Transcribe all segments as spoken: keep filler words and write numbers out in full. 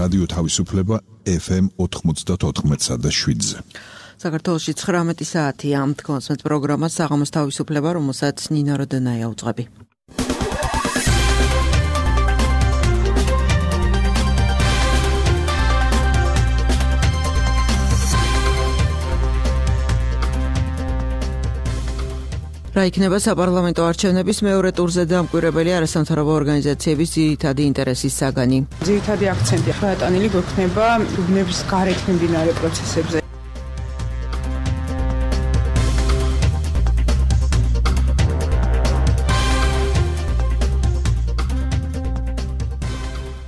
რადიო თავისუფლება ეფ ემ ოთხმოცდაოთხ და შვიდზე. საქართველოში ცხრამეტი საათია ამ თქმასმეთ პროგრამა საღამოს თავისუფლება, რომელსაც ნინო როდენაია უძღვები. რა იქნება საპარლამენტო არჩევნების მეორე ტურზე დამკვირვებელი არასამთავრობო ორგანიზაციების ძირითადი ინტერესის საგანი. ძირითადი აქცენტი გადატანილი გვექნება უბნების გარეთ მიმდინარე პროცესებზე.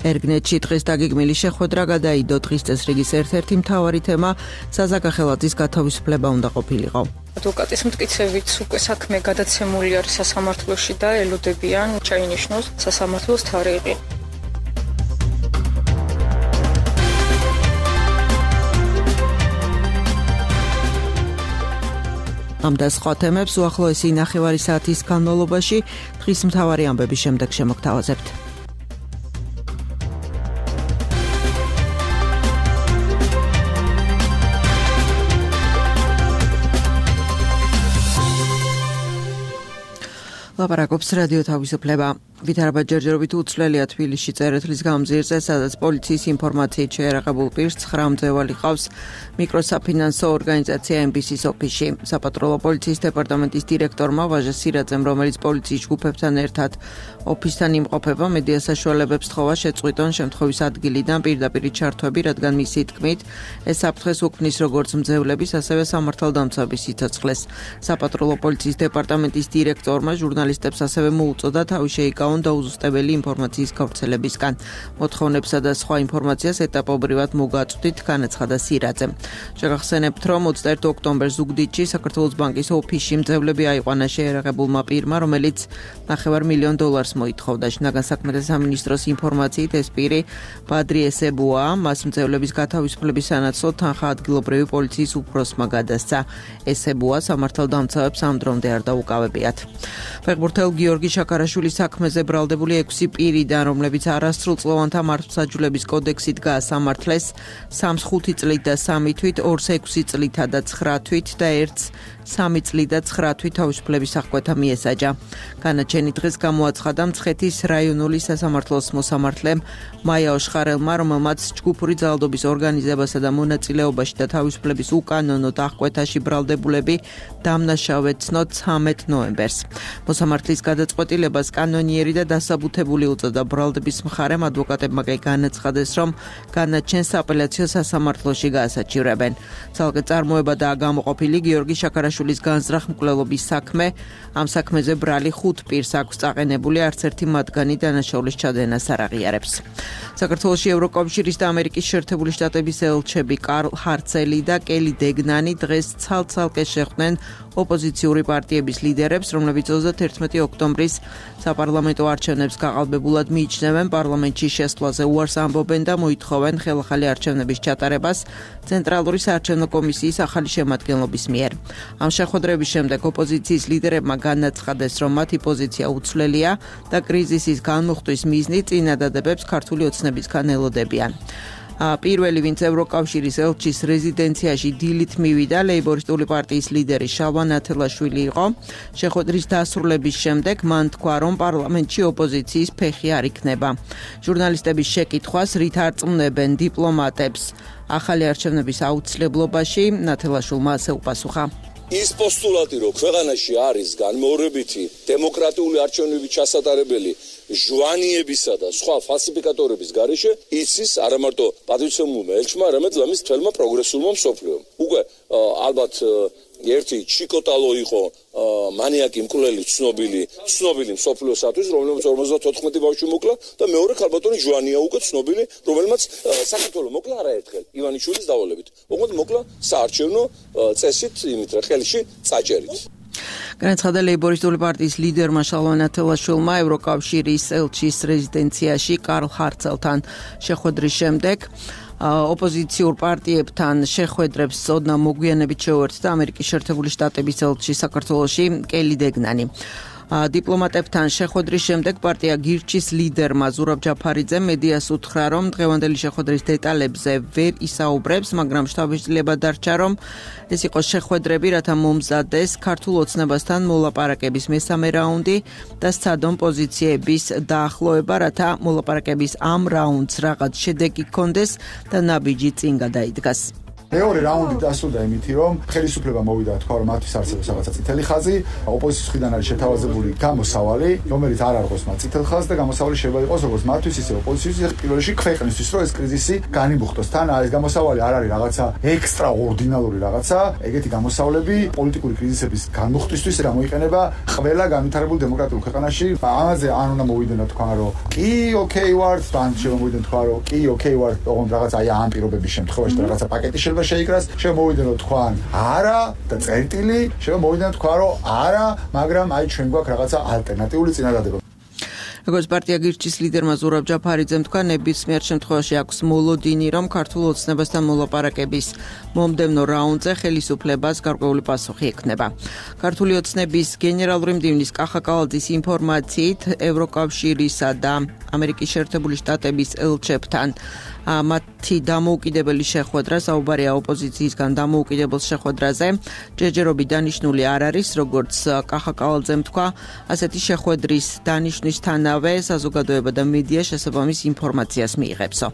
ერგნეთში დღეს დაგეგმილი შეხვედრა გადაიდო. დღის წესრიგის ერთ-ერთი მთავარი თემა საზაგახელაძის გათავისუფლება უნდა ყოფილიყო. ადვოკატის მტკიცებით უკვე საქმე გადაცემული არის სასამართლოში და ელოდებიან ჩაინიშნოს სასამართლოს თარიღი. ამ და სხვა თემებს უახლოესი ნახევარი საათის განმავლობაში დღის მთავარი ამბების შემდეგ შემოგთავაზებთ. ლაპარაკობს რადიო თავისუფლება. ვითარება ჯერჯერობით უცვლელია თბილისში წერეთლის გამზირზე, სადაც პოლიციის ინფორმაციით შეერაღებულ პირს ცხრა მძევალი ყავს მიკროსაფინანსო ორგანიზაცია ემ ბი სის ოფისში. საპატრულო პოლიციის დეპარტამენტის დირექტორმა ვაჟა სირაძემ, რომელიც პოლიციის ჯგუფებთან ერთად ოფისთან იმყოფება, მედია საშუალებებს თხოვა შეწყვიტონ შემთხვევის ადგილიდან პირდაპირ ჩართვები, რადგან მისი თქმით, ეს საფრთხეს უქმნის როგორც მძევლების, ასევე სამართალდამცავების სიცოცხლეს. საპატრულო პოლიციის დეპარტამენტის დირექტორმა ჟურნალისტებს ასევე მოუწოდა თავი შეიკავონ დაუზუსტებელი ინფორმაციის გავრცელებისგან. მოთხოვნებსა და სხვა ინფორმაციას ეტაპობრივად მოგაწვდით, განაცხადა სირაძემ. შეგახსენებთ, რომ ოცდაერთი ოქტომბერს ზუგდიდში საქართველოს ბანკის ოფისში მძევლები აიყვანა შეერაღებულმა პირმა, რომელიც ნახევარ მილიონ დოლარს მოითხოვდა. შინაგან საქმეთა სამინისტროს ინფორმაციით ეს პირი ბადრი ესებუა, მას მძევლების გათავისუფლების სანაცვლოდ თანხა ადგილობრივი პოლიციის უფროსმა გადასცა. ესებუა სამართალდამცავებს ამ დრომდე არ დაუკავებიათ. ფეხბურთელ გიორგი შაქარაშვილის საქმეზე ბრალდებული ექვსი პირიდან, რომლებიც არასრულწლოვანთა მართლმსაჯულების კოდექსით გაასამართლეს, სამს ხუთი წლით და სამი თვით, ორს ექვსი წლითა და ცხრა თვით და ერთს სამი წლით და ცხრა თვით თავისუფლების აღკვეთა მიესაჯა. განაჩენი დღეს გამოაცხადა მცხეთის რაიონული სასამართლოს მოსამართლემ მაია ოშხარელმა, რომელმაც ჯგუფური ძალადობის ორგანიზებასა და მონაწილეობაში და თავისუფლების უკანონოდ აღკვეთაში ბრალდებულები დამნაშავედ ცნოთ ცამეტ ნოემბერს. მოსამართლის გადაწყვეტილებას კანონიერი და დასაბუთებული უწოდა. ბრალდების მხარემ ადვოკატებმა განაცხადეს, რომ განაჩენს აპელაციო სასამართლოში გაასაჩივრებენ. ცალკე წარმოებადაა გამოყოფილი გიორგი შაქარაშვილის განზრახ მკვლელობის საქმე. ამ საქმეზე ბრალი ხუთ პირს აქვს წაყენებული, არც ერთი მათგანი დანაშაულის ჩადენას არ აღიარებს. საქართველოში ევროკავშირის და ამერიკის შეერთებული შტატების ელჩები კარლ ჰარცელი და კელი დეგნანი დღეს ცალ-ცალკე შეხვდნენ ოპოზიციური პარტიების ლიდერებს, რომლებიც ოცდაერთი ოქტომბრის საპარლამენტო არჩევნებს გაყალბებულად მიიჩნევენ, პარლამენტში შესვლაზე უარს ამბობენ და მოითხოვენ ხელახალი არჩევნების ჩატარებას ცენტრალური საარჩევნო კომისიის ახალი შემადგენლობის მიერ. ამ შეხვედრების შემდეგ ოპოზიციის ლიდერებმა განაცხადეს, რომ მათი პოზიცია უცვლელია და კრიზისის განმუხტვის მიზნი წინადადებებს ქართული ოცნებისგან ელოდებიან. პირველი, ვინც ევროკავშირის ელჩის რეზიდენციაში დილით მივიდა, ლეიბორისტული პარტიის ლიდერი შალვა ნათელაშვილი იყო. შეხვედრის დასრულების შემდეგ მან თქვა, რომ პარლამენტში ოპოზიციის ფეხი არ იქნება. ჟურნალისტების შეკითხვას, რით არწმუნებენ დიპლომატებს ახალი არჩევნების აუცილებლობაში, ნათელაშვილმა ასე უპასუხა. ის პოსტულატი, რომ ქვეყანაში არის განმეორებითი დემოკრატიული არჩევნების ჩასატარებელი ჟვანიებისა და სხვა ფალსიფიკატორების გარეშე, იცის არა მარტო პატრიციუმულმა ელჩმა, არამედ ლამის თელმა პროგრესულმა მსოფლიომ. უკვე ალბათ ერთი ჩიკოტალო იყო მანიაკი მკვლელი ცნობილი ცნობილი მსოფლიოსათვის, რომელმაც ორმოცდაოთხმეტი ბავშვი მოკლა და მეორე ქალბატონი ჟვანია უკვე ცნობილი, რომელმაც საქართველოს მოკლა არაერთხელ ივანიშვილის დავალებით. ოღონდ მოკლა საარჩევნო წესით, იმით რა ხელში წაჭერით. განაცხადა ლეიბორისტული პარტიის ლიდერმა შალვა ნათელაშვილმა ევროკავშირის ელჩის რეზიდენციაში კარლ ჰარცელთან შეხვედრის შემდეგ. ოპოზიციურ პარტიებთან შეხვედრებს ოდნა მოგვიანებით შეუერთდა ამერიკის შეერთებული შტატების ელჩი საქართველოში კელი დეგნანი. დიპლომატებთან შეხვედრის შემდეგ პარტია გირჩის ლიდერმა ზურაბ ჯაფარიძემ მედიას უთხრა, რომ დღევანდელი შეხვედრის დეტალებზე ვერ ისაუბრებს, მაგრამ შთაბეჭდილება დარჩა, რომ ეს იყოს შეხვედრები, რათა მომზადდეს ქართულ ოცნებასთან მოლაპარაკების მესამე რაუნდი და სცადონ პოზიციების დაახლოება, რათა მოლაპარაკების ამ რაუნდს რაღაც შედეგი ჰქონდეს და ნაბიჯი წინ გადაიდგას. მეორე რაუნდი დასრულდა იმითი, რომ ხელისუფლება მოვიდა თქვა, რომ მათთვის არსებობს რაღაცა წითელი ხაზი, ოპოზიციის მხრიდან არის შეთავაზებული გამოსავალი, რომელიც არ არღოს მათ წითელ ხაზს და გამოსავალი შეიძლება იყოს როგორც მათთვის, ისე ოპოზიციის, პირველ რიგში ქვეყნისთვის, რომ ეს კრიზისი განიმუხტოს. თან ეს გამოსავალი არ არის რაღაცა ექსტრაორდინალური რაღაცა, ეგეთი გამოსავლები პოლიტიკური კრიზისების განმუხტვისთვის გამოიყენება ყველა განვითარებულ დემოკრატიულ ქვეყანაში. ამაზე ან უნდა მოვიდნენ თქვა, რომ კი, ოკეი ვარ, თან შეიძლება მოვიდნენ თქვა, რომ კი, ოკეი ვარ, ოღონდ რაღაცა აი ამ პირობების შემთხვევაში და რაღაცა პაკეტი შეიძლება შეიკრას, შემოვიდნენ რომ თქვან არა და წერტილი, შემოვიდნენ თქვა რომ არა, მაგრამ აი ჩვენ გვაქვს რაღაცა ალტერნატიული წინადადება. როგორც პარტია გირჩის ლიდერმა ზურაბ ჯაფარიძემ თქვა, ნებისმიერ შემთხვევაში აქვს მოლოდინი, რომ ქართულ ოცნებასთან მოლაპარაკების მომდევნო რაუნდზე ხელისუფლებას გარკვეული პასუხი ექნება. ქართული ოცნების გენერალური მდივნის კახა კალაძის ინფორმაციით, ევროკავშირისა და ამერიკის შეერთებული შტატების ელჩებთან მათი დამოუკიდებელი შეხვედრა, საუბარია ოპოზიციისგან დამოუკიდებელ შეხვედრაზე, ჯერჯერობით დანიშნული არ არის, როგორც კახა კალაძემ თქვა, ასეთი შეხვედრის დანიშვნისთანავე საზოგადოება და მედია შესაბამის ინფორმაციას მიიღებსო.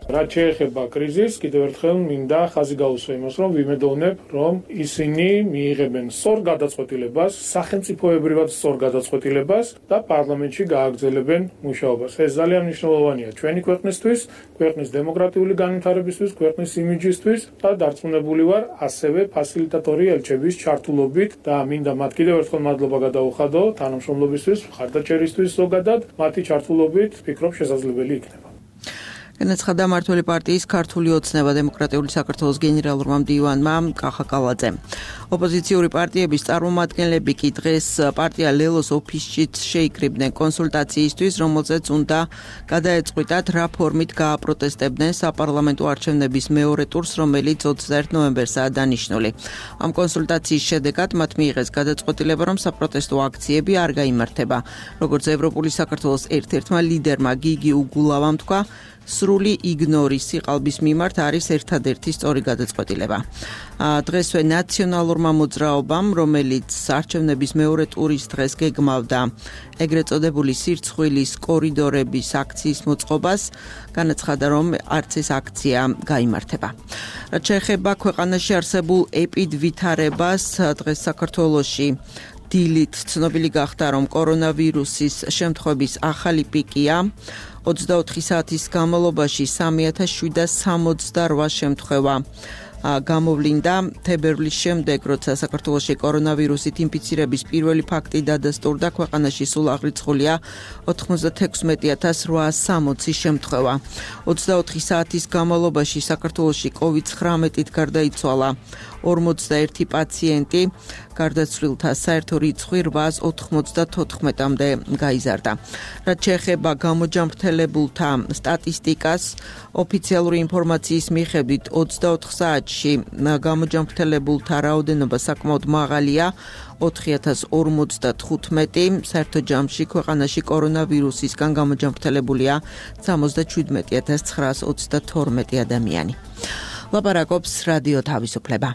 რაც შეეხება კრიზისს, კიდევ ერთხელ მინდა ხაზი გაუსვა იმას, რომ ვიმედოვნებ, რომ ისინი მიიღებენ სწორ გადაწყვეტილებას, სახელმწიფოებრივად სწორ გადაწყვეტილებას და პარლამენტში გააგრძელებენ მუშაობას. ეს ძალიან მნიშვნელოვანია ჩვენი ქვეყნისთვის, ქვეყნის დემოკრატიული განვითარებისთვის, ქვეყნის იმიჯისთვის და დარწმუნებული ვარ, ასევე ფასილიტატორი ელჩების ჩართულობით და მინდა მათ კიდევ ერთხელ მადლობა გადაუხადო თანამშრომლობისთვის, მხარდაჭერისთვის ზოგადად, მათი ჩართულობით ვფიქრობ შესაძლებელი იქნება. განაცხადა მმართველი პარტიის ქართული ოცნება დემოკრატიული საქართველოს გენერალურმა მდივანმა კახა კალაძემ. ოპოზიციური პარტიების წარმომადგენლები კი დღეს პარტია ლელოს ოფისშიც შეიკრიბნენ კონსულტაციისთვის, რომელზეც უნდა გადაეწყვიტათ რა ფორმით გააპროტესტებდნენ საპარლამენტო არჩევნების მეორე ტურს, რომელიც ოცდაერთ ნოემბერსაა დანიშნული. ამ კონსულტაციის შედეგად მათ მიიღეს გადაწყვეტილება, რომ საპროტესტო აქციები არ გაიმართება. როგორც ევროპული საქართველოს ერთ-ერთმა ლიდერმა გიგი უგულავამ თქვა, სრული იგნორის სიყალბის მიმართ არის ერთადერთი სწორი გადაწყვეტილება. დღესვე ნაციონალურმა მოძრაობამ, რომელიც არჩევნების მეორე ტურის დღეს გეგმავდა ეგრეთ წოდებული სირცხვილის კორიდორების აქციის მოწყობას, განაცხადა, რომ არც ეს აქცია გაიმართება. რაც შეეხება ქვეყანაში არსებულ ეპიდვითარებას, დღეს საქართველოში დილით ცნობილი გახდა, რომ კორონავირუსის შემთხვევების ახალი პიკია ოცდაოთხი საათის განმავლობაში სამი ათას შვიდსათ სამოცდაოთხ შემთხვევა გამოვლინდა. თებერვლის შემდეგ, როცა საქართველოში კორონავირუსით ინფიცირების პირველი ფაქტი დადასტურდა, ქვეყანაში სულ აღრიცხულია ოთხმოცდათექვსმეტი ათას რვაას სამოცი შემთხვევა. ოცდაოთხი საათის განმავლობაში საქართველოში კოვიდ ცხრამეტით გარდაიცვალა ორმოცდაერთი პაციენტი, გარდაცვლილთა საერთო რიცხვი რვაას ოთხმოცდათოთხმეტამდე გაიზარდა. რაც შეეხება გამოჯანმრთელებულთა სტატისტიკას, ოფიციალური ინფორმაციის მიხედვით ოცდაოთხ საათში გამოჯანმრთელებულთა რაოდენობა საკმაოდ მაღალია, ოთხი ათას ორმოცდათხუთმეტი, საერთო ჯამში ქვეყანაში კორონავირუსისგან გამოჯანმრთელებულია სამოცდაშვიდმეტი ათას ცხრაას ოცდათორმეტი ადამიანი. ლაპარაკობს რადიო თავისუფლება.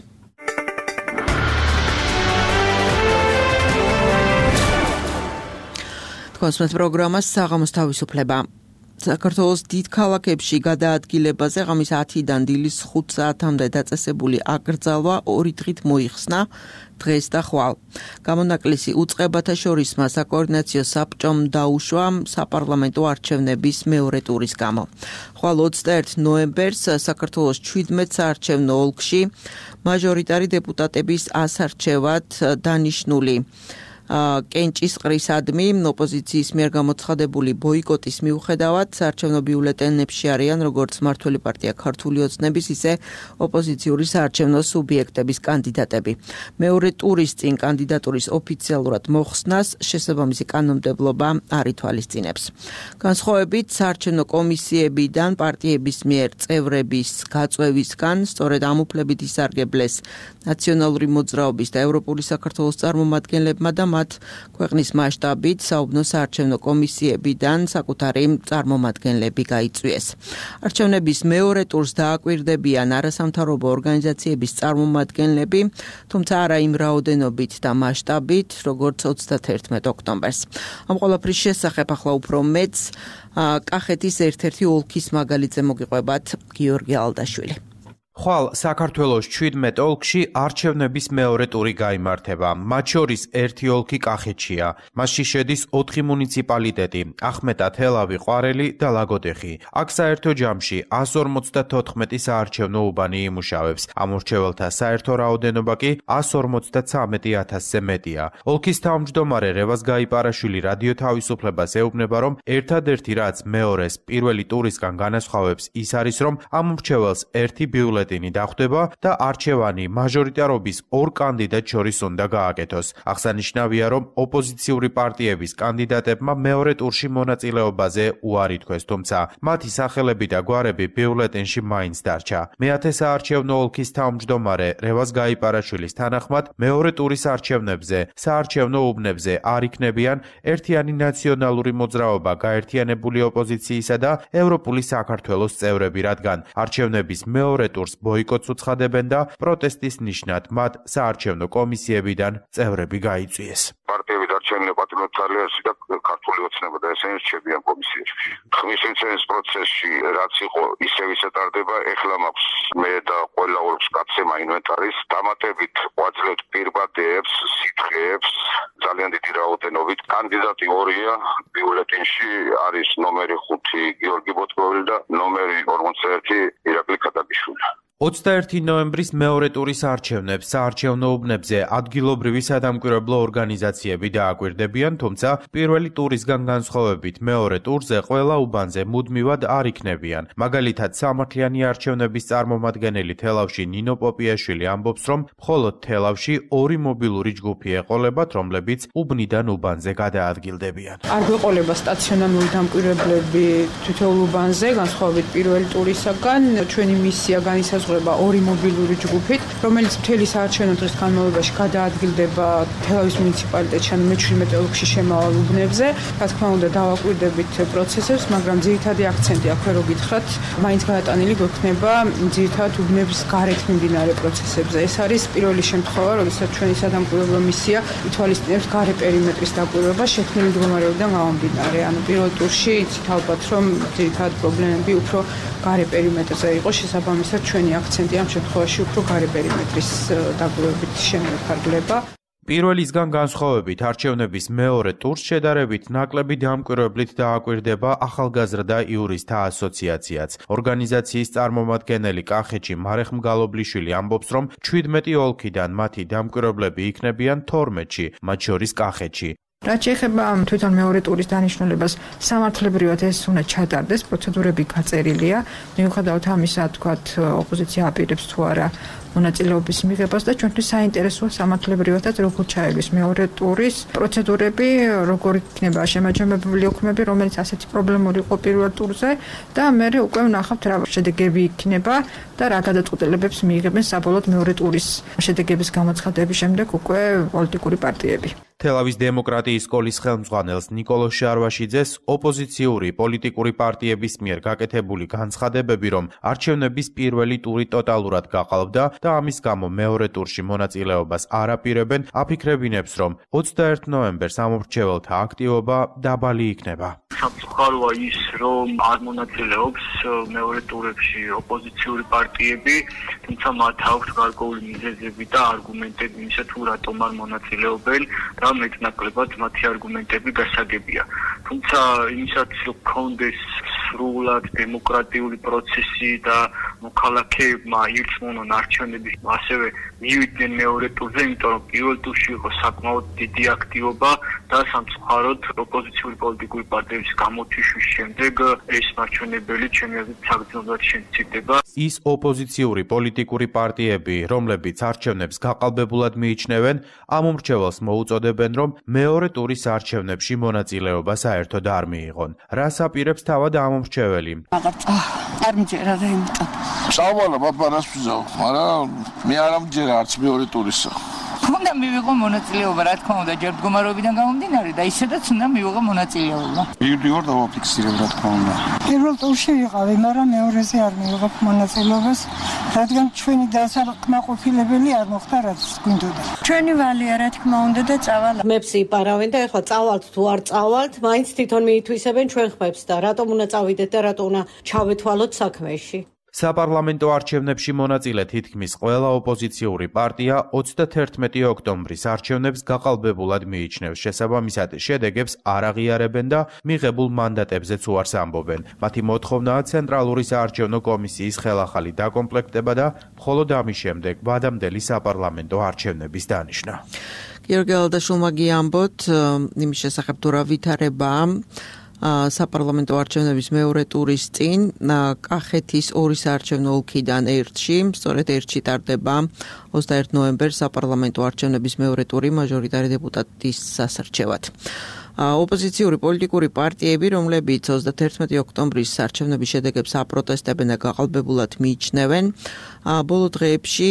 კონსმეთ პროგრამა საღამოს თავისუფლება. საქართველოს დიდ ქალაქებში გადაადგილებაზე ღამის ათიდან დილის ხუთ საათამდე დაწესებული აკრძალვა ორი დღით მოიხსნა დღეს და ხვალ. გამონაკლისი უწყებათა შორის საკოორდინაციო საბჭომ დაუშვა საპარლამენტო არჩევნების მეორე ტურის გამო. ხვალ ოცდაერთ ნოემბერს საქართველოს ჩვიდმეტ საარჩევნო ოლქში მაჟორიტარი დეპუტატების ასარჩევად დანიშნული კენჭისყრისადმი ოპოზიციის მიერ გამოცხადებული ბოიკოტის მიუხედავად საარჩევნო ბიულეტენებში არიან როგორც მმართველი პარტია ქართული ოცნების, ისე ოპოზიციური საარჩევნო სუბიექტების კანდიდატები. მეორე ტურის წინ კანდიდატურის ოფიციალურად მოხსნას შესაბამისი კანონმდებლობა არ ითვალისწინებს. განსხვავებით საარჩევნო კომისიებიდან პარტიების მიერ წევრების გაწვევისგან სწორედ ამ უფლებით ისარგებლეს ნაციონალური მოძრაობის და ევროპული საქართველოს წარმომადგენლებმა და თანახმად ქვეყნის მასშტაბით საუბნო საარჩევნო კომისიებიდან საკუთარი წარმომადგენლები გაიწვიეს. არჩევნების მეორე ტურს დააკვირდებიან არასამთავრობო ორგანიზაციების წარმომადგენლები, თუმცა არა იმ რაოდენობით და მასშტაბით, როგორც ოცდათერთმეტ ოქტომბერს. ამ ყველაფრის შესახებ ახლა უფრო მეც კახეთის ერთ-ერთი ოლქის მაგალითზე მოგიყვებათ გიორგი ალდაშვილი. ხვალ საქართველოს შვიდმეტ ოლქში არჩევნების მეორე ტური გაიმართება. მათ შორის ერთი ოლქი კახეთშია. მასში შედის ოთხი მუნიციპალიტეტი: ახმეტა, თელავი, ყვარელი და ლაგოდეხი. აქ საერთო ჯამში ას ორმოცდათოთხმეტი საარჩევნო უბანი იმუშავებს. ამორჩეველთა საერთო რაოდენობა კი ას ორმოცდათვრამეტი ათასზე მეტია. ოლქის თავმჯდომარე რევაზ გაიპარაშვილი რადიო თავისუფლებას ეუბნება, რომ ერთადერთი რაც მეორეს პირველი ტურისგან განასხვავებს ის არის, რომ ამორჩეველს ერთი ბიულეტენი დახვდება და არჩევანი მაჟორიტარობის ორ კანდიდატ შორის უნდა გააკეთოს. აღსანიშნავია, რომ ოპოზიციური პარტიების კანდიდატებმა მეორე ტურში მონაწილეობაზე უარი თქვეს, თუმცა მათი სახელები და გვარები ბიულეტენში მაინც დარჩა. მეათე საარჩევნო ოლქის თავმჯდომარე რევაზ გაიპარაშვილის თანახმად, მეორე ტურის არჩევნებზე, საარჩევნო უბნებზე არ იქნებიან ერთიანი ნაციონალური მოძრაობა, გაერთიანებული ოპოზიციისა და ევროპული საქართველოს წევრები, რადგან არჩევნების მეორე ტურს ბოიკოტს უცხადებენ და პროტესტის ნიშნად მათ საარჩევნო კომისიებიდან წევრები გაიწვიეს. პარტიები არჩევნები პატრიოტალიაში და ქართული ოცნება და ესენი რჩებიან კომისიებში. ხმის მიცემის პროცესში რაც იყო ისევ ისეთარდება, ეხლა მაქვს მე და ყველა ოლქს გაცემა ინვენტარის, დამატებით ვაძლევთ პირბადეებს, სითხეებს, ძალიან დიდი რაოდენობით. კანდიდატი ორია, ბიულეტენში არის ნომერი ხუთი გიორგი ბოტკოველი და ნომერი ორმოცდაერთი ირაკლი ქადაგიშვილი. ოცდაერთი ნოემბრის მეორე ტურის არჩევნებს საარჩევნო უბნებზე ადგილობრივი სადამკვირვებლო ორგანიზაციები დააკვირდებიან, თუმცა პირველი ტურისგან განსხვავებით მეორე ტურზე ყველა უბანზე მუდმივად არ იქნებიან. მაგალითად, სამართლიანი არჩევნების წარმომადგენელი თელავში ნინო პოპიაშვილი ამბობს, რომ მხოლოდ თელავში ორი მობილური ჯგუფი ეყოლებათ, რომლებიც უბნიდან უბანზე გადაადგილდებიან. არ გვეყოლება სტაციონარული დამკვირვებლები თითოეულ უბანზე, განსხვავებით პირველი ტურისაგან. ჩვენი მისია განისაზღვრება ორი მობილური ჯგუფით, რომელიც მთელი საარჩევნო დღის განმავლობაში გადაადგილდება თელავის მუნიციპალიტეტში, ანუ მეჩვიდმეტ ოლქში შემავალ უბნებზე. რა თქმა უნდა, დავაკვირდებით პროცესებს, მაგრამ ძირითადი აქცენტი აქვე რო გითხრათ, მაინც გადატანილი გვექნება ძირითადად უბნების გარეთ მიმდინარე პროცესებზე. ეს არის პირველი შემთხვევა, როდესაც ჩვენი სადამკვირვებლო მისია ითვალისწინებს გარე პერიმეტრის დაკვირვება შექმნილი მდგომარეობიდან გამომდინარე. ანუ პირველ ტურში იცით ალბათ, რომ ძირითადად პრობლემები უფრო გარე პერიმეტრზე იყო, შესაბამისად ჩვენი აქცენტი ამ შემთხვევაში უფრო გარე პერიმეტრის დაკვირვებით შემოიფარგლება. პირველისგან განსხვავებით არჩევნების მეორე ტურს შედარებით ნაკლები დამკვირვებლით დააკვირდება ახალგაზრდა იურისტთა ასოციაციაც. ორგანიზაციის წარმომადგენელი კახეთში მარეხ მგალობლიშვილი ამბობს, რომ შვიდმეტი ოლქიდან მათი დამკვირვებლები იქნებიან თორმეტში, მათ შორის კახეთში. რაც შეეხება თვითონ მეორე ტურის დანიშნულებას, სამართლებრივად ეს უნდა ჩატარდეს, პროცედურები გაწერილია. მიუხედავად ამისა, თქვათ, ოპოზიცია აპირებს თუ არა მონაწილეობის მიღებას და ჩვენთვის საინტერესოა სამართლებრივადაც როგორ ჩაეგვის მეორე ტურის პროცედურები, როგორ იქნება შემაჯამებელი ოქმები, რომელიც ასეთი პრობლემური იყო პირველ ტურზე და მე უკვე ვნახავთ რა შედეგები იქნება და რა გადაწყვეტილებებს მიიღებენ საბოლოოდ მეორე ტურის შედეგების გამოცხადების შემდეგ უკვე პოლიტიკური პარტიები. თელავის დემოკრატიის სკოლის ხელმძღვანელს ნიკოლოზ შარვაშიძეს ოპოზიციური პოლიტიკური პარტიების მიერ გაკეთებული განცხადებები, რომ არჩევნების პირველი ტური ტოტალურად გაყალბდა და ამის გამო მეორე ტურში მონაწილეობას არ აპირებენ, აფიქრებინებს, რომ ოცდაერთ ნოემბერს ამორჩეველთა აქტივობა დაბალი იქნება. სამწუხაროა ის, რომ არ მონაწილეობს მეორე ტურებში ოპოზიციური პარტიები, თუმცა მათ აქვთ გარკვეული მიზეზები და არგუმენტები იმისა, თუ რატომ არ მონაწილეობენ და მეტნაკლებად მათი არგუმენტები გასაგებია. თუმცა იმისაც, რომ გქონდეს სრულად დემოკრატიული პროცესი და მოქალაქეებმა ირწმუნონ არჩევნები, ასევე მივიდნენ მეორე ტურზე, იმიტომ რომ პირველ ტურში იყო საკმაოდ დიდი აქტივობა და სამწუხაროდ ოპოზიციური პოლიტიკური პარტიების გამოთიშვის შემდეგ ეს მარჩვენებელი ჩემი აზრით საგრძნობლად შემცირდება. ის ოპოზიციური პოლიტიკური პარტიები, რომლებიც არჩევნებს გაყალბებულად მიიჩნევენ, ამ უმრჩეველს მოუწოდებენ, რომ მეორე ტურის არჩევნებში მონაწილეობა საერთოდ არ მიიღონ. რას აპირებს თავად ამ უმრჩეველი? არ მჯერა და იმიტომ. წავალა პაპარას ვიზავ, მაგრამ მე არ ამჯერა არც მეორე ტურისა. უნდა მივიღო მონაწილეობა, რა თქმა უნდა, ჯერ მდგომარეობიდან გამომდინარე და ისედაც უნდა მივიღო მონაწილეობა. იურიდიულად დავაფიქსირებ, რა თქმა უნდა. პირველ ტურში ვიყავი, მაგრამ მეორეზე არ მივიღებ მონაწილეობას, რადგან ჩვენი დასაკმაყოფილებელი არ მოხდა, რაც გვინდოდა. ჩვენი ვალია, რა თქმა უნდა და წავალ. ხმებს იპარავენ და ეხლა წავალთ თუ არ წავალთ, მაინც თვითონ მიითვისებენ ჩვენ ხმებს და რატომ უნდა წავიდეთ და რატომ უნდა ჩავეთვალოთ საქმეში. საპარლამენტო არჩევნებში მონაწილე თითქმის ყველა ოპოზიციური პარტია ოცდათერთმეტი ოქტომბრის არჩევნებს გაყალბებულად მიიჩნევს. შესაბამისად, შედეგებს არ აღიარებენ და მიღებულ მანდატებზეც უარს ამბობენ. მათი მოთხოვნაა ცენტრალური საარჩევნო კომისიის ხელახალი დაკომპლექტება და მხოლოდ ამის შემდეგ ვადამდელი საპარლამენტო არჩევნების დანიშვნა. გიორგი ალადაშვილმა გიამბოთ იმის შესახებ თუ რა ვითარებაა საპარლამენტო არჩევნების მეორე ტურის წინ კახეთის ორი საარჩევნო ოლქიდან ერთში, სწორედ ერთში ტარდება ოცდაერთი ნოემბერს საპარლამენტო არჩევნების მეორე ტური მაჟორიტარი დეპუტატის სასარჩევად. ოპოზიციური პოლიტიკური პარტიები, რომლებიც ოცდათერთმეტი ოქტომბრის არჩევნების შედეგებს აპროტესტებენ და გაყალბებულად მიიჩნევენ, ბოლო დღეებში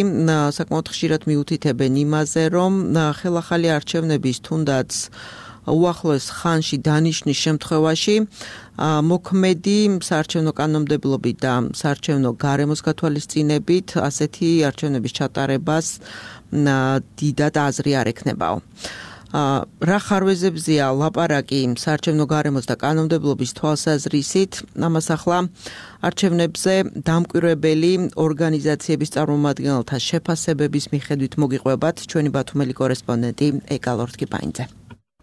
საკმაოდ ხშირად მიუთითებენ იმაზე, რომ ხელახალი არჩევნების თუნდაც უახლოეს ხანში დანიშნის შემთხვევაში მოქმედი საარჩევნო კანონმდებლობით და საარჩევნო გარემოს გათვალისწინებით ასეთი არჩევნების ჩატარებას დიდად აზრი არ ექნებაო. რა ხარვეზებზეა ლაპარაკი საარჩევნო გარემოს და კანონმდებლობის თვალსაზრისით, ამას ახლა არჩევნებზე დამკვირვებელი ორგანიზაციების წარმომადგენელთა შეფასებების მიხედვით მოგიყვებათ ჩვენი ბათუმელი კორესპონდენტი ეკალორთ კიპაინძე.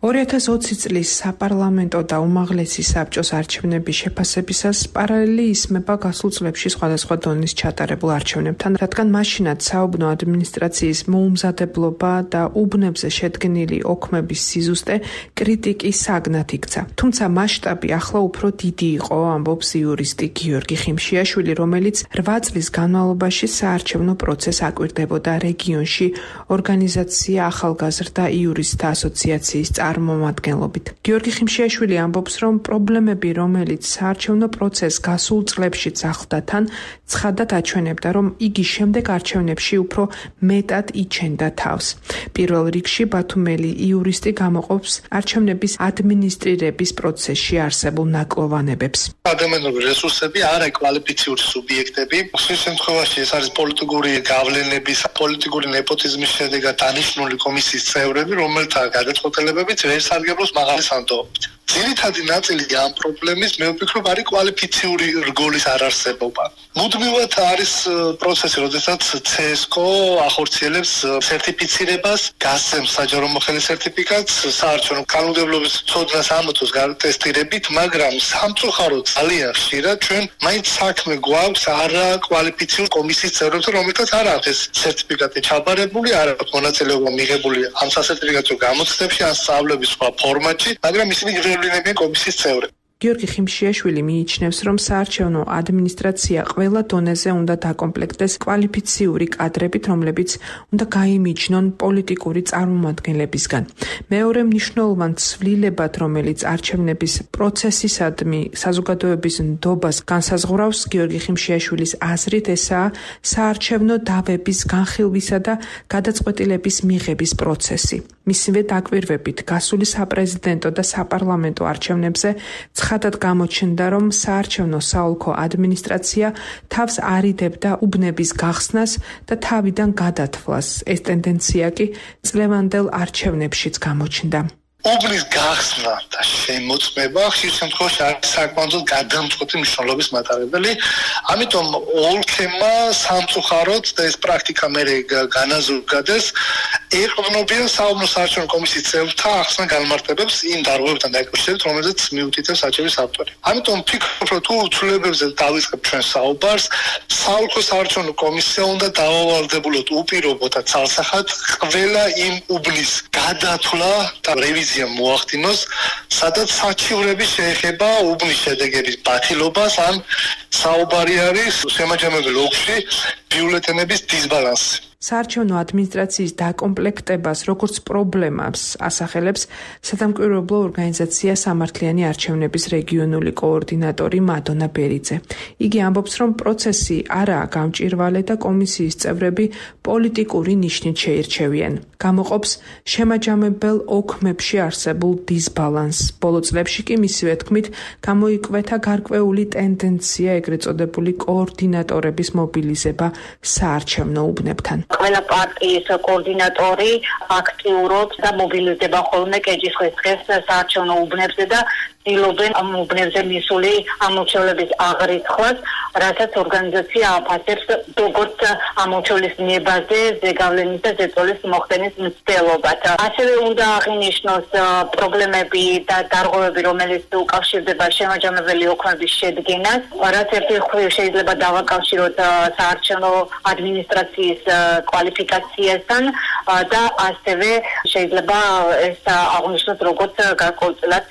ორი ათას ოცი წლის საპარლამენტო და უმაღლესი საბჭოს არჩევნების შეფასებისას პარალელი ისმება გასულ წლებში სხვადასხვა დონის ჩატარებულ არჩევნებთან, რადგან მაშინაც საუბნო ადმინისტრაციის მოუმზადებლობა და უბნებზე შედგენილი ოქმების სიზუსტე კრიტიკის საგნად იქცა. თუმცა მასშტაბი ახლა უფრო დიდი იყო, ამბობს იურისტი გიორგი ხიმშიაშვილი, რომელიც რვა წლის განმავლობაში საარჩევნო პროცესს აკვირდებოდა რეგიონში ორგანიზაცია ახალგაზრდა იურისტთა ასოციაციის წარმომადგენლობით. გიორგი ხიმშიაშვილი ამბობს, რომ პრობლემები, რომელიც საარჩევნო პროცესს გასულ წლებშიც ახლდა თან, ცხადად აჩვენებდა, რომ იგი შემდეგ არჩევნებში უფრო მეტად იჩენდა თავს. პირველ რიგში ბათუმელი იურისტი გამოყოფს არჩევნების ადმინისტრირების პროცესში არსებულ ნაკლოვანებებს. ადამიანური რესურსები არა კვალიფიციური სუბიექტები. ხშირ შემთხვევაში ეს არის პოლიტიკური გავლენების, პოლიტიკური ნეპოტიზმის შედეგად დანიშნული კომისიის წევრები, რომელთა გადაწყვეტილებებიც ვერ სარგებლობს მაღალი სანდოობით. ძირითადი ნაწილი ამ პრობლემის მე ვფიქრობ არის კვალიფიციური რგოლის არარსებობა. მუდმივად არის პროცესი, როდესაც ცესკო ახორციელებს სერტიფიცირებას, გასცემს საჯარო მოხელის სერტიფიკატს საარჩევნო კანონმდებლობის ცოდნას ამოწოს გატესტირებით, მაგრამ სამწუხაროდ ძალიან ხშირად ჩვენ მაინც საქმე გვაქვს არა კვალიფიციური კომისიის წევრებთან, რომელთაც არ აქვს ეს სერტიფიკატი ჩაბარებული, არ აქვს მონაწილეობა მიღებული ამ სასერტიფიკატო გამოცდებში ან სწავლების სხვა ფორმატში, მაგრამ ისინი გრევლინებიან კომისიის წევრები. გიორგი ხიმშიაშვილი მიიჩნევს, რომ საარჩევნო ადმინისტრაცია ყველა დონეზე უნდა დაკომპლექტდეს კვალიფიციური კადრებით, რომლებიც უნდა გაიმიჯნონ პოლიტიკური წარმომადგენლებისგან. მეორე მნიშვნელოვან ცვლილებად, რომელიც არჩევნების პროცესისადმი საზოგადოების ნდობას განსაზღვრავს, გიორგი ხიმშიაშვილის აზრით, ესაა საარჩევნო დავების განხილვისა და გადაწყვეტილების მიღების პროცესი. მისივე დაკვირვებით გასული საპრეზიდენტო და საპარლამენტო არჩევნებზე ცხადად გამოჩნდა, რომ საარჩევნო საოლქო ადმინისტრაცია თავს არიდებდა უბნების გახსნას და თავიდან გადათვლას. ეს ტენდენცია კი წლევანდელ არჩევნებშიც გამოჩნდა. უბნის გახსნა და შემოწმება ხშირ შემთხვევაში არის საკმაოდ გადამწყვეტი მნიშვნელობის მატარებელი. ამიტომ ოლქებმა სამწუხაროდ და ეს პრაქტიკა მერე განაზრგდეს, ეყრდნობიან საუბნო საარჩევნო კომისიის წევრთა ახსნა განმარტებებს იმ დარღვევებთან დაკავშირებით, რომელზეც მიუთითებს საჩევის ავტორი. ამიტომ ვფიქრობ, რომ თუ ცვლილებებზე დავიწყებ ჩვენ საუბარს, საოლქო საარჩევნო კომისია უნდა დავავალდებულოთ უპირობო და ცალსახად ყველა იმ უბნის გადათვლა და რევიზია მოახდინოს, სადაც საჩივრები შეეხება უბნის შედეგების ბათილობას ან საუბარი არის შემაჯამებელ ოლქში ბიულეტენების დისბალანსი. საარჩევნო ადმინისტრაციის დაკომპლექტებას როგორც პრობლემას ასახელებს სადამკვირვებლო ორგანიზაცია სამართლიანი არჩევნების რეგიონული კოორდინატორი მადონა ბერიძე. იგი ამბობს, რომ პროცესი არაა გამჭირვალე და კომისიის წევრები პოლიტიკური ნიშნით შეირჩევიან. გამოყოფს შემაჯამებელ ოქმებში არსებულ დისბალანსს. ბოლო წლებში კი მისივე თქმით გამოიკვეთა გარკვეული ტენდენცია ეგრეთ წოდებული კოორდინატორების მობილიზება საარჩევნო უბნებთან. ყველა პარტიის კოორდინატორი აქტიურობს და მობილიზდება ხოლმე კეჭისყრის დღეს საარჩევნო უბნებზე და ცდილობენ ამ უბნებზე მისული ამორჩევლების აღრიცხვას, რასაც ორგანიზაცია აფასებს როგორც ამორჩევლის ნებაზე, ზეგავლენის და ზეწოლის მოხდენის მცდელობად. ასევე უნდა აღინიშნოს პრობლემები და დარღვევები, რომელიც უკავშირდება შემაჯამებელი ოქმების შედგენას, რაც ერთი მხრივ შეიძლება დავაკავშიროთ საარჩევნო ადმინისტრაციის კვალიფიკაციასთან და ასევე შეიძლება ეს აღნიშნოთ როგორც გარკვეულწილად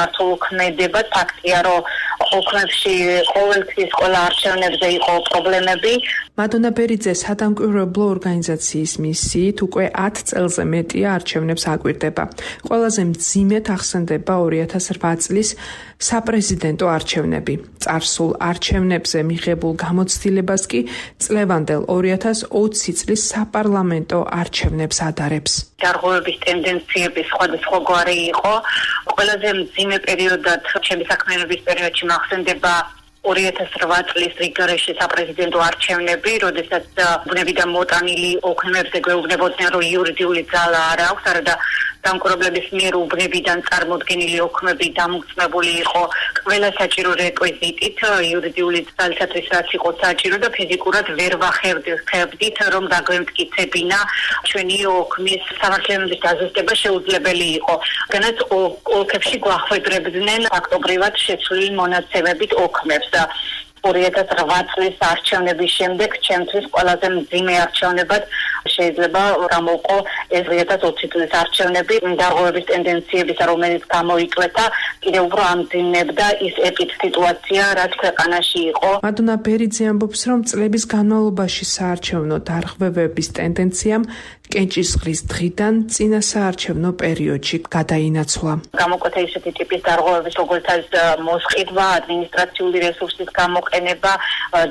მართულ ქმედება. ფაქტია, რომ ოქმებში ყოველთვის ყველა არჩევნებზე იყო პრობლემები. მადონა ბერიძე სადამკვირვებლო ორგანიზაციის მისიით უკვე ათ წელზე მეტია არჩევნებს აკვირდება. ყველაზე მძიმედ ახსენდება ორი ათას რვა წლის საპრეზიდენტო არჩევნები. წარსულ არჩევნებზე მიღებულ გამოცდილებას კი წლევანდელ ორი ათას ოცი წლის საპარლამენტო არჩევნებს ადარებს. დარღვევების ტენდენციები სხვადასხვაგვარი იყო. ყველაზე მძიმე პერიოდად ჩემი საქმიანობის პერიოდში მახსენდება ორი ათას რვა წლის რიგარეში საპრეზიდენტო არჩევნები, როდესაც უბნებიდან მოტანილი ოქმებზე გვეუბნებოდნენ, რომ იურიდიული ძალა არ აქვს, არადა დამკვირვებლების მიერ უბნებიდან წარმოდგენილი ოქმები დამოწმებული იყო ყველა საჭირო რეკვიზიტით, იურიდიული ძალისათვის რაც იყო საჭირო და ფიზიკურად ვერ ვახერხებდით, რომ დაგვემტკიცებინა ჩვენი ოქმის სამართლებრივი დაზუსტება შეუძლებელი იყო. განაც ოლქებში გვახვედრებდნენ ფაქტობრივად შეცვლილი მონაცემებით ოქმებს. ორი ათას რვა წლის არჩევნების შემდეგ ჩემთვის ყველაზე მძიმე არჩევნებად შეიძლება გამოვყო ეს ორი ათას ოცი წლის არჩევნები. დარღვევების ტენდენციების, რომელიც გამოიკვეთა, კიდევ უფრო ამძიმებდა ის ეპიდსიტუაცია, რაც ქვეყანაში იყო. მადონა ბერიძე ამბობს, რომ წლების განმავლობაში საარჩევნო დარღვევების ტენდენციამ კენჭისყრის დღიდან წინა საარჩევნო პერიოდში გადაინაცვლა. გამოკვეთა ისეთი ტიპის დარღვევების, როგორც არის მოსყიდვა, ადმინისტრაციული რესურსის გამოყენება,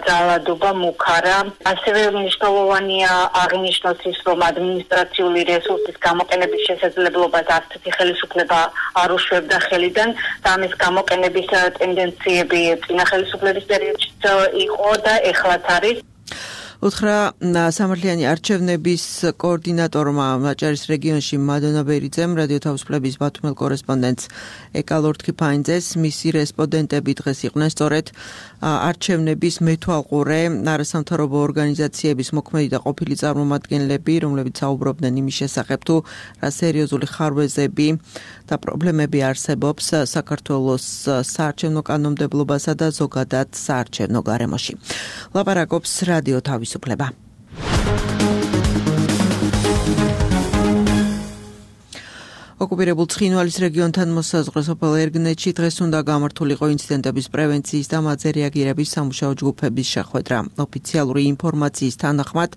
ძალადობა, მუქარა. ასევე მნიშვნელოვანია აღინიშნოს ის, რომ ადმინისტრაციული რესურსის გამოყენების შესაძლებლობას არც ერთი ხელისუფლება არ უშვებდა ხელიდან და ამის გამოყენების ტენდენციები წინა ხელისუფლების პერიოდშიც იყო და ეხლაც არის. უთხრა სამართლიანი არჩევნების კოორდინატორმა მაჭარის რეგიონში მადონა ბერიძემ რადიო თავისუფლების ბათუმელ კორესპონდენტს ეკალორ თქიფაინძეს. მისი რესპონდენტები დღეს იყვნენ სწორედ არჩევნების მეთვალყურე არასამთავრობო ორგანიზაციების მოქმედი და ყოფილი წარმომადგენლები, რომლებიც საუბრობდნენ იმის შესახებ, თუ რა სერიოზული ხარვეზები და პრობლემები არსებობს საქართველოს საარჩევნო კანონმდებლობასა და ზოგადად საარჩევნო გარემოში. ლაპარაკობს რადიო თავისუფლება. ოკუპირებულ ცხინვალის რეგიონთან მოსაზღვრე სოფელ ერგნეთში დღეს უნდა გამართულიყო ინციდენტების პრევენციის და მათზე რეაგირების სამუშაო ჯგუფების შეხვედრა. ოფიციალური ინფორმაციის თანახმად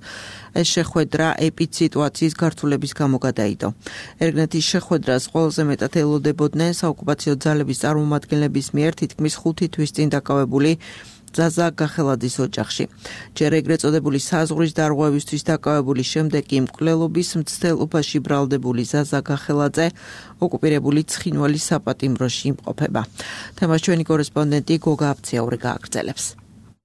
ეს შეხვედრა ეპიდსიტუაციის გართულების გამო გადაიდო. ერგნეთის შეხვედრას ყველაზე მეტად ელოდებოდნენ საოკუპაციო ძალების წარმომადგენლების მიერ თითქმის ხუთი თვის წინ დაკავებული ზაზა გახელაძის ოჯახში. ჯერ ეგრეთ წოდებული საზღვრის დარღვევისთვის დაკავებული, შემდეგ კი მკვლელობის მცდელობაში ბრალდებული ზაზა გახელაძე ოკუპირებული ცხინვალის საპატიმროში იმყოფება. თემას ჩვენი კორესპონდენტი გოგა აფციაური გააგრძელებს.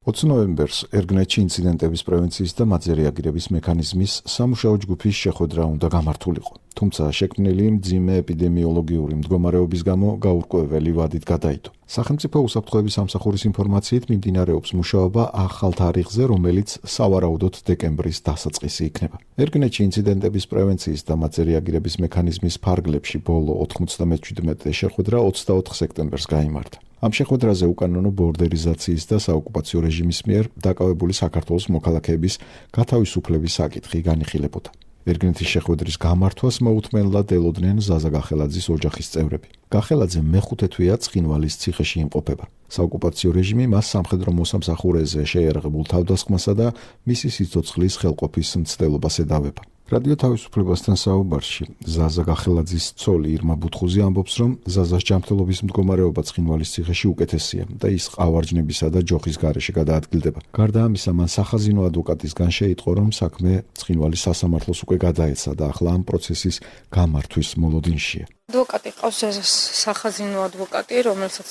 ოცი ნოემბერს ერგნეთში ინციდენტების პრევენციის და მათზე რეაგირების მექანიზმის სამუშაო ჯგუფის შეხვედრა უნდა გამართულიყო. თუმცა შექმნილი მძიმე ეპიდემიოლოგიური მდგომარეობის გამო გაურკვეველი ვადით გადაიდო. სახელმწიფო უსაფრთხოების სამსახურის ინფორმაციით მიმდინარეობს მუშაობა ახალ თარიღზე, რომელიც სავარაუდოდ დეკემბრის დასაწყისი იქნება. ერგნეთში ინციდენტების პრევენციის და მათზე რეაგირების მექანიზმის ფარგლებში ბოლო ოთხმოცდამეჩვიდმეტე შეხვედრა ოცდაოთხ სექტემბერს გაიმართა. ამ შეხვედრაზე უკანონო ბორდერიზაციის და საოკუპაციო რეჟიმის მიერ დაკავებული საქართველოს მოქალაქეების გათავისუფლების საკითხი განიხილებოდა. ერგნეთის შეხვედრის გამართვას მოუთმენლად ელოდნენ ზაზა გახელაძის ოჯახის წევრები. გახელაძე მეხუთე თვეა ცხინვალის ციხეში იმყოფება. საოკუპაციო რეჟიმი მას სამხედრო მოსამსახურეზე შეიარაღებულ თავდასხმასა და მისი სიცოცხლის ხელყოფის მცდელობას ედავება. რადიო თავისუფლებასთან საუბარში ზაზა გახელაძის ცოლი ირმა ბუთხუზი ამბობს, რომ ზაზას ჯანმრთელობის მდგომარეობა ცხინვალის ციხეში უკეთესია და ის ყავარჯნებისა და ჯოხის გარეშე გადაადგილდება. გარდა ამისა, მან სახაზინო ადვოკატისგან შეიტყო, რომ საქმე ცხინვალის სასამართლოს უკვე გადაეცა და ახლა ამ პროცესის გამართვის მოლოდინშია. ადვოკატი ყავს ზაზას სახაზინო ადვოკატი, რომელსაც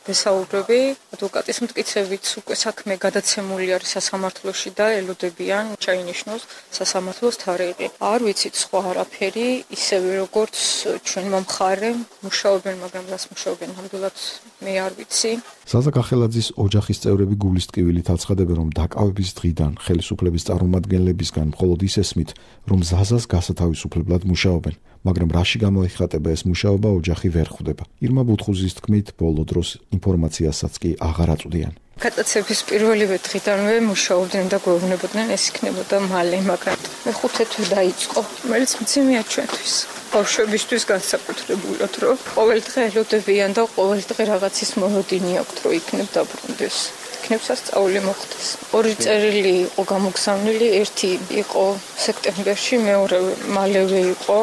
ვესაუბრები. ადვოკატის მტკიცებით უკვე საქმე გადაცემული არის სასამართლოში და ელოდებიან ჩაინიშნოს სასამართლოს თარიღი. არ ვიცით სხვა არაფერი, ისევე როგორც ჩვენმა მხარემ მუშაობენ, მაგრამ რას მუშაობენ ნამდვილად მე არ ვიცი. ზაზა გახელაძის ოჯახის წევრები გულის ტკივილით აცხადებენ, რომ დაკავების დღიდან ხელისუფლების წარმომადგენლებისგან მხოლოდ ის ესმით, რომ ზაზას გასათავისუფლებლად მუშაობენ. მაგრამ რაში გამოიხატება ეს მუშაობა, ოჯახი ვერ ხვდება. ირმა ბუთხუზის თქმით, ბოლო დროს ინფორმაციასაც კი აღარ აწვდიან. გადაცემის პირველივე დღიდანვე მუშაობდნენ და გვეუბნებოდნენ, ეს იქნებოდა მალე, მაგრამ მეხუთე თვე დაიწყო, რომელიც მძიმეა ჩვენთვის. ბავშვებისთვის განსაკუთრებულად, რომ ყოველ დღე ელოდებიან და ყოველ დღე რაღაცის მოლოდინი აქვთ, რომ იქნებ დაბრუნდეს. იქნებ სასწაული მოხდეს. ორი წერილი იყო გამოგზავნილი, ერთი იყო სექტემბერში, მეორე მალევე იყო.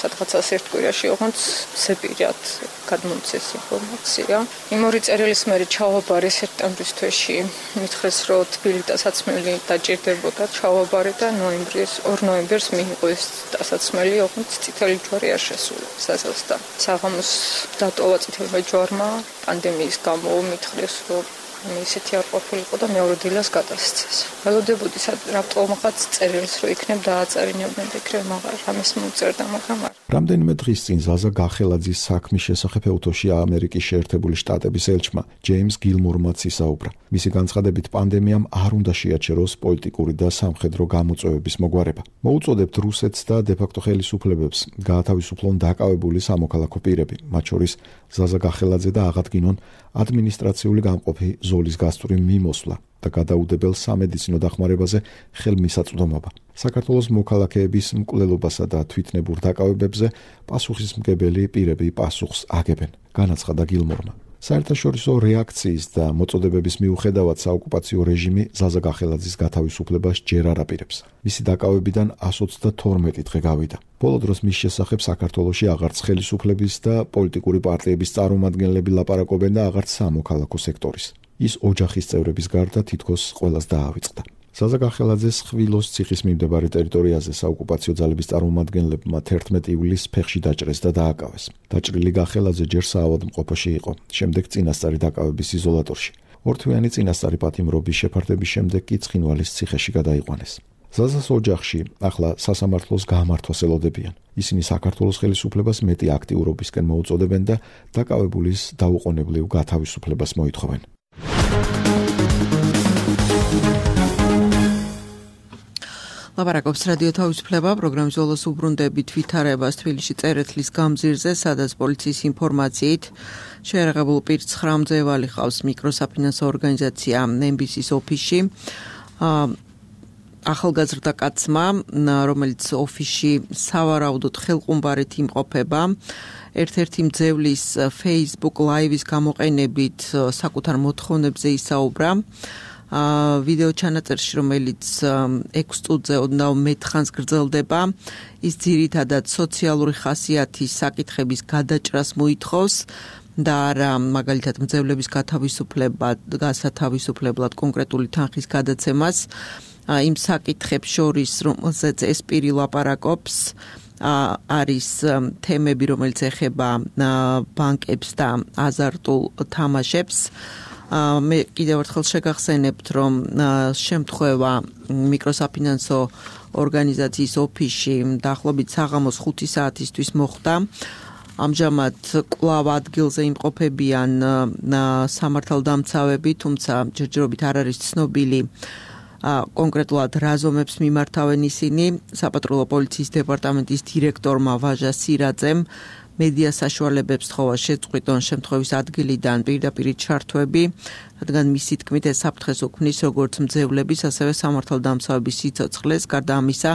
სადღაცას ერთ კვირაში ოღონდ ზეპირად გადმომცეს ინფორმაცია. იმ ორი წერილის მერე ჩავაბარე სექტემბრის თვეში, მითხრეს, რომ თბილი დასაცმელი დაჭირდებოდა, ჩავაბარე და ნოემბრის, ორ ნოემბერს მიიღო ეს დასაცმელი, ოღონდ წითელი ჯვარი არ შესულა საზას და საღამოს დატოვა წითელმა ჯვარმა, პანდემიის გამო მითხრეს, რომ ისეთი არ ყოფილიყო და მეორე დილას გადასცეს. ველოდებოდი რატომღაც წერილს, რომ იქნებ დააწარინებდნენ და იქნებ მაგარ რამეს მოწერდა, მაგრამ არ. რამდენიმე დღის წინ ზაზა გახელაძის საქმის შესახებ ეთოში ამერიკის შეერთებული შტატების ელჩმა ჯეიმს გილმორმაც ისაუბრა. მისი განცხადებით, პანდემიამ არ უნდა შეაჩეროს პოლიტიკური და სამხედრო გამოწვევების მოგვარება. მოუწოდებთ რუსეთს და დე-ფაქტო ხელისუფლებებს გაათავისუფლონ დაკავებული სამოქალაქო პირები, მათ შორის ზაზა გახელაძე და აღადგინონ ადმინისტრაციული გამყოფი ზოლის გასწვრივ მიმოსვლა და გადაუდებელ სამედიცინო დახმარებაზე ხელმისაწვდომობა. საქართველოს მოქალაქეების მკვლელობასა და თვითნებურ დაკავებებზე პასუხისმგებელი პირები პასუხს აგებენ, განაცხადა გილმორმა. საერთაშორისო რეაქციის და მოწოდებების მიუხედავად საოკუპაციო რეჟიმი ზაზა გახელაძის გათავისუფლებას ჯერ არ აპირებს. მისი დაკავებიდან εκατს ოცდათორმეტი დღე გავიდა. ბოლო დროს მის შესახებ საქართველოში აღარც ხელისუფლების და პოლიტიკური პარტიების წარმომადგენლები ლაპარაკობენ და აღარც სამოქალაქო სექტორის. ის ოჯახის წევრების გარდა თითქოს ყველას დაავიწყდა. ზაზა გახელაძეს ხვილოს ციხის მიმდებარე ტერიტორიაზე საოკუპაციო ძალების წარმომადგენლებმა თერთმეტი ივლისს ფეხში დაჭრეს და დააკავეს. დაჭრილი გახელაძე ჯერ საავადმყოფოში იყო, შემდეგ წინასწარი დაკავების იზოლატორში. ორთვიანი წინასწარი პატიმრობის შეფარდების შემდეგ კი ცხინვალის ციხეში გადაიყვანეს. ზაზას ოჯახში ახლა სასამართლოს გამართვას ელოდებიან. ისინი საქართველოს ხელისუფლებას მეტი აქტიურობისკენ მოუწოდებენ და დაკავებულის დაუყოვნებლივ გათავისუფლებას მოითხოვენ. ლაპარაკობს რადიო თავისუფლება, პროგრამის ბოლოს უბრუნდებით ვითარებას თბილისში წერეთლის გამზირზე, სადაც პოლიციის ინფორმაციით შეიარაღებულ პირს ცხრა მძევალი ყავს მიკროსაფინანსო ორგანიზაცია ემ ბი სის ოფისში. ახალგაზრდა კაცმა, რომელიც ოფისში სავარაუდოდ ხელყუმბარით იმყოფება, ერთ-ერთი მძევლის Facebook Live-ის გამოყენებით საკუთარ მოთხოვნებზე ისაუბრა. ვიდეო ჩანაწერში, რომელიც ექვს წუთზე ოდნავ მეტ ხანს გრძელდება, ის ძირითადად სოციალური ხასიათის საკითხების გადაჭრას მოითხოვს და არა მაგალითად მძევლების გათავისუფლებლად, გასათავისუფლებლად კონკრეტული თანხის გადაცემას. იმ საკითხებს შორის, რომელზეც ეს პირი ლაპარაკობს, არის თემები, რომელიც ეხება ბანკებს და აზარტულ თამაშებს. მე კიდევ ერთხელ შეგახსენებთ, რომ შემთხვევა მიკროსაფინანსო ორგანიზაციის ოფისში დაახლოებით საღამოს ხუთი საათისთვის მოხდა. ამჟამად კვლავ ადგილზე იმყოფებიან სამართალდამცავები, თუმცა ჯერჯერობით არ არის ცნობილი კონკრეტულად რა ზომებს მიმართავენ ისინი. საპატრულო პოლიციის დეპარტამენტის დირექტორმა ვაჟა სირაძემ მედია საშუალებებს თხოვა შეწყვიტონ შემთხვევის ადგილიდან პირდაპირ ჩართვები, რადგან მისი თქმით ეს საფრთხეს უქმნის როგორც მძევლების, ასევე სამართალდამცავების სიცოცხლეს. გარდა ამისა,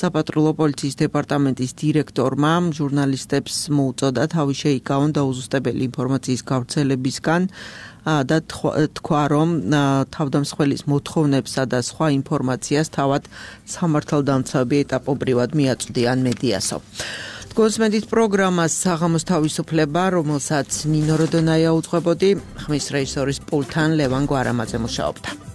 საპატრულო პოლიციის დეპარტამენტის დირექტორმა ჟურნალისტებს მოუწოდა თავი შეიკავონ დაუზუსტებელი ინფორმაციის გავრცელებისგან და თქვა, რომ თავდამსხმელის მოთხოვნებსა და სხვა ინფორმაციას თავად სამართალდამცავები ეტაპობრივად მიაწვდიან მედიასო. კონსმენდით პროგრამას საღამოს თავისუფლება, რომელსაც ნინო როდონაია უძღვებოდი, ხმის რეჟისორის პულთან ლევან გვარამაძე მუშაობდა.